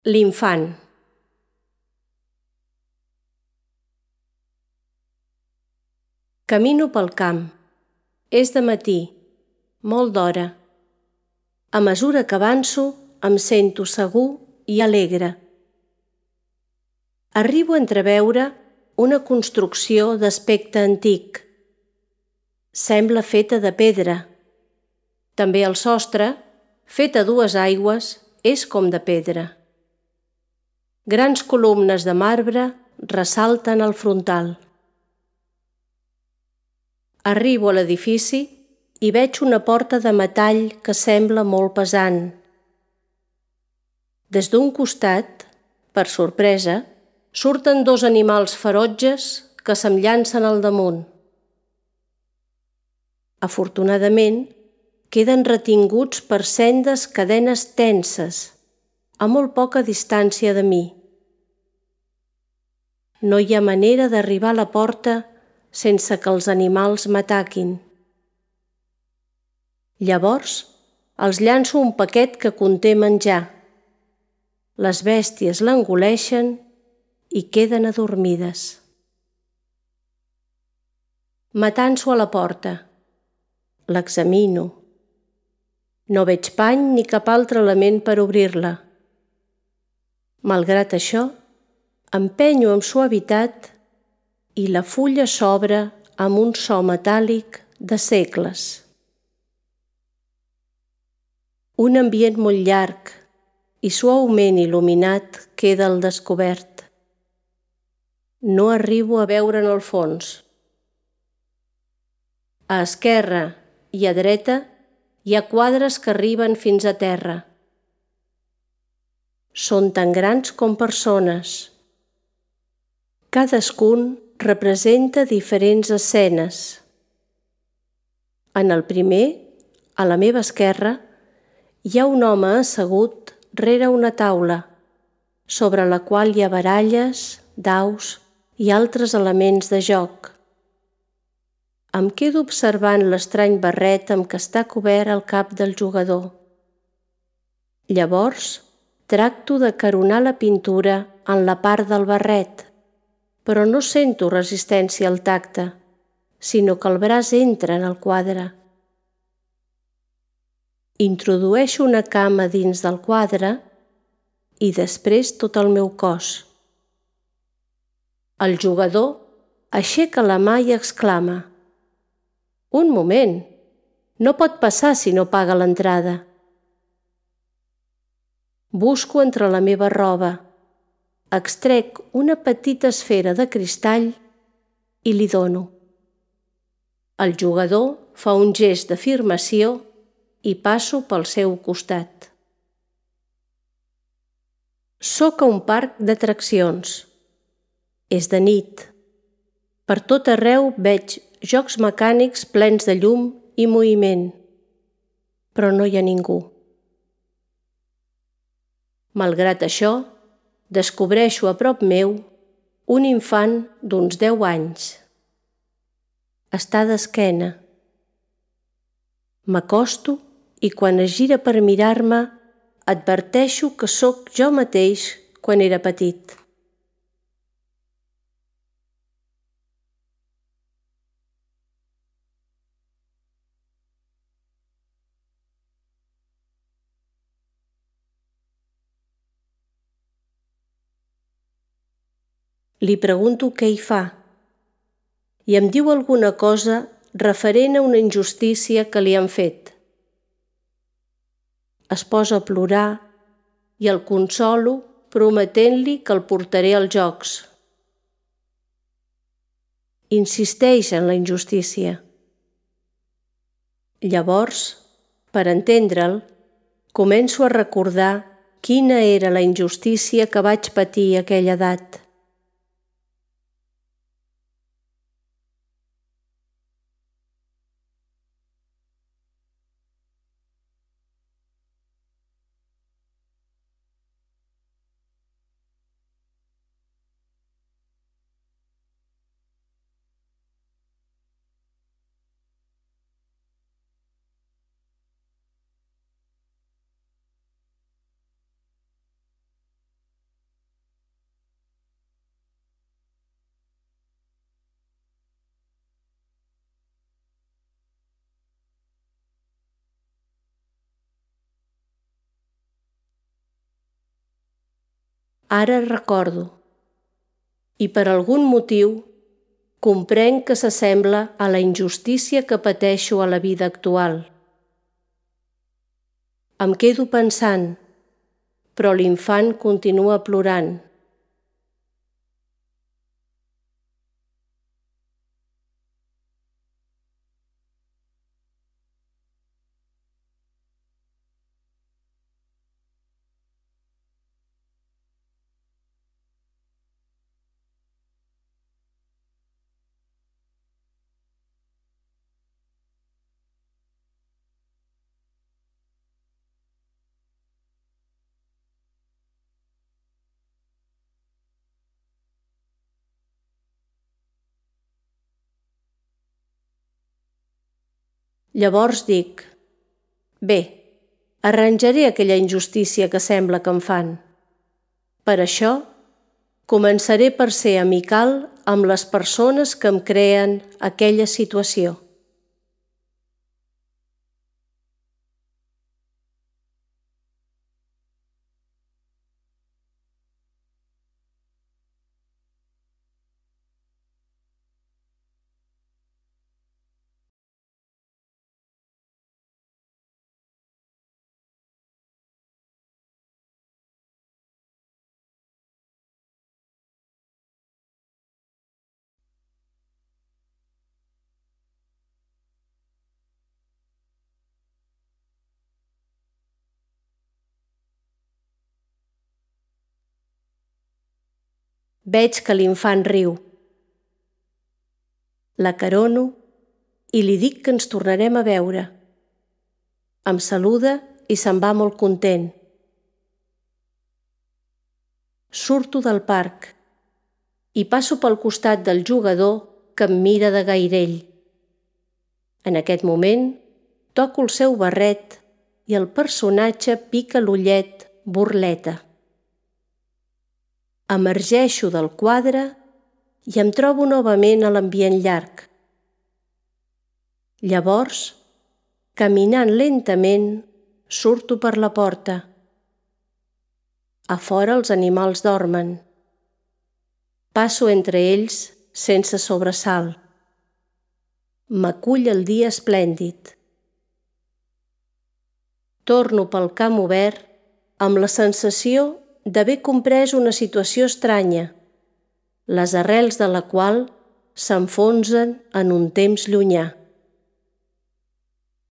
L'infant. Camino pel camp. És de matí, molt d'hora. A mesura que avanço, em sento segur i alegre. Arribo a entreveure una construcció d'aspecte antic. Sembla feta de pedra. També el sostre, fet a dues aigües, és com de pedra. Grans columnes de marbre ressalten el frontal. Arribo a l'edifici i veig una porta de metall que sembla molt pesant. Des d'un costat, per sorpresa, surten dos animals ferotges que se'm llancen al damunt. Afortunadament, queden retinguts per sendes cadenes tenses, a molt poca distància de mi. No hi ha manera d'arribar a la porta sense que els animals m'ataquin. Llavors, els llanço un paquet que conté menjar. Les bèsties l'engoleixen i queden adormides. M'atanso a la porta. L'examino. No veig pany ni cap altre element per obrir-la. Malgrat això, empenyo amb suavitat i la fulla s'obre amb un so metàl·lic de segles. Un ambient molt llarg i suaument il·luminat queda al descobert. No arribo a veure en el fons. A esquerra i a dreta hi ha quadres que arriben fins a terra. Són tan grans com persones. Cadascun representa diferents escenes. En el primer, a la meva esquerra, hi ha un home assegut rere una taula, sobre la qual hi ha baralles, daus i altres elements de joc. Em quedo observant l'estrany barret amb què està cobert el cap del jugador. Llavors, tracto d'acaronar la pintura en la part del barret, però no sento resistència al tacte, sinó que el braç entra en el quadre. Introdueixo una cama dins del quadre i després tot el meu cos. El jugador aixeca la mà i exclama: «Un moment! No pot passar si no paga l'entrada». Busco entre la meva roba, extrec una petita esfera de cristall i li dono. El jugador fa un gest d'afirmació i passo pel seu costat. Soc a un parc d'atraccions. És de nit. Per tot arreu veig jocs mecànics plens de llum i moviment, però no hi ha ningú. Malgrat això, descobreixo a prop meu un infant d'uns 10 anys. Està d'esquena. M'acosto i quan es gira per mirar-me, adverteixo que sóc jo mateix quan era petit. Li pregunto què hi fa i em diu alguna cosa referent a una injustícia que li han fet. Es posa a plorar i el consolo prometent-li que el portaré als jocs. Insisteix en la injustícia. Llavors, per entendre'l, començo a recordar quina era la injustícia que vaig patir a aquella edat. Ara recordo. I per algun motiu comprenc que s'assembla a la injustícia que pateixo a la vida actual. Em quedo pensant, però l'infant continua plorant. Llavors dic, bé, arranjaré aquella injustícia que sembla que em fan. Per això, començaré per ser amical amb les persones que em creen aquella situació. Veig que l'infant riu. L'acarono i li dic que ens tornarem a veure. Em saluda i se'n va molt content. Surto del parc i passo pel costat del jugador que em mira de gairell. En aquest moment toco el seu barret i el personatge pica l'ullet burleta. Emergeixo del quadre i em trobo novament a l'ambient llarg. Llavors, caminant lentament, surto per la porta. A fora els animals dormen. Passo entre ells sense sobresalt. M'acull el dia esplèndid. Torno pel camp obert amb la sensació d'haver comprès una situació estranya, les arrels de la qual s'enfonsen en un temps llunyà.